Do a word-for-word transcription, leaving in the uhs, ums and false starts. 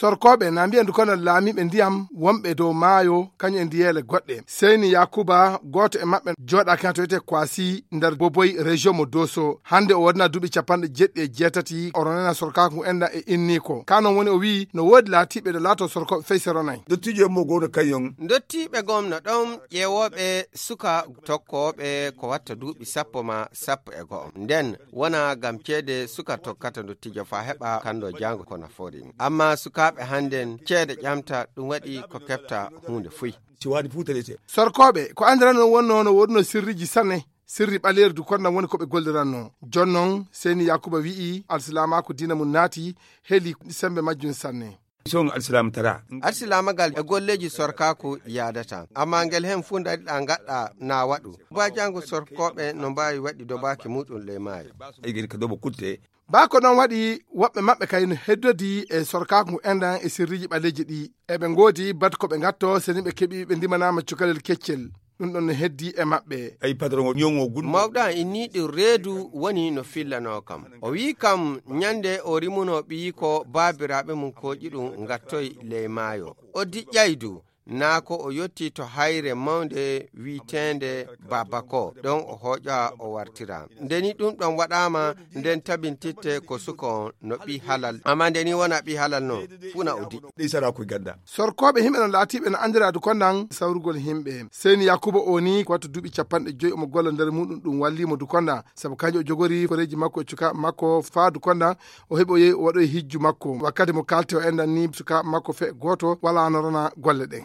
Sorkooɓe na mbiya ndu kono laamiiɓe ndiyam wonɓe dow maayo kañum e ndiyeele goɗɗe. Seyni Yakuba, gooto e maɓɓe, jooɗaaki han to wiyetee Kwasi nder Boboy, région mo Doso. Hannde o waɗana duuɓi capanɗe jeeɗiɗi e jeetati, o ronana sorkaaku ngu enɗan e inniiko. Ka non woni o wi'i no woodi laatiiɓe no laatoo sorkooɓe fey se ronay. Dottiijo mo gowno kañum. Dottiiɓe gom no ɗon ƴeewooɓe suka tokkooɓe ko watta duuɓi sappo ma sappo e go'o. Nden wona ngam ceede suka tokkata ndottiijo faa heɓa kanndo jaango ko nafoori. Amma sukaaɓe hannden ceede ƴamta, ɗum waɗi ko keɓta huunde fuy. Si waɗi fuu taƴete. Sorkooɓe, ko anndiranoo wonnoo no woodunoo sirriiji sanne. Sirri ɓaleeri du konnan woni ko ɓe golliranno. Jonnon, Seyni Yakuba wi'i, alsilaamaaku diina mum naati, heli semmbe majjum sanne. Son alsilaama tara. Alsilaamagal e golleeji sorkaaku yaadata, amma ngel hen fuu ndariɗaa ngaɗɗaa na waɗu. Baa jaango sorkooɓe no mbaawi waɗi dobaaki muuɗum ley maayo. Ay gel ka dobo kutte. Baa ko ɗon waɗi woɓɓe maɓɓe kay no heddodi e sorkaaku ngu enɗan e sirriiji ɓaleeji ɗi. Eɓe ngoodi bat ko ɓe ngatto seni ɓe keɓi ɓe ndimanaama cukalel keccel. Ɗum ɗon no heddi e maɓɓe. Ay patron o ñoŋo gun. Mawɗo an inni ɗum reedu woni no fillanoo kam. O wi'i kam ñande o rimunoo ɓiyiiko baabiraaɓe mum kooƴi ɗum ngattoy ley maayo. O diƴƴay du, naa ko o yotti to hayre mawnde wi'eteende Babako, ɗon o hooƴa o wartira. Nde ni ɗum ɗon waɗaama, nden tabintitte ko suka on no ɓii halal. Amma nde ni wona ɓii halal non, fuu na o diƴƴi. Ɗi sara ko ganda. Sorkooɓe himɓe no laatiiɓe no anndira Dukondan sawrugol himɓe. Seyni Yakuba o ni ko wattu duuɓi capanɗe joyi omo golla nder muɗum, ɗum wallii mo Dukondan. Sabu kanjo o jogori koreeji makko e cukaaɓe makko faa Dukondan o heɓi o yehi o waɗoyi hijju makko. Wakkati mo kaalte o enɗan ni sukaaɓe makko fe gooto walaa no rona golle ɗen.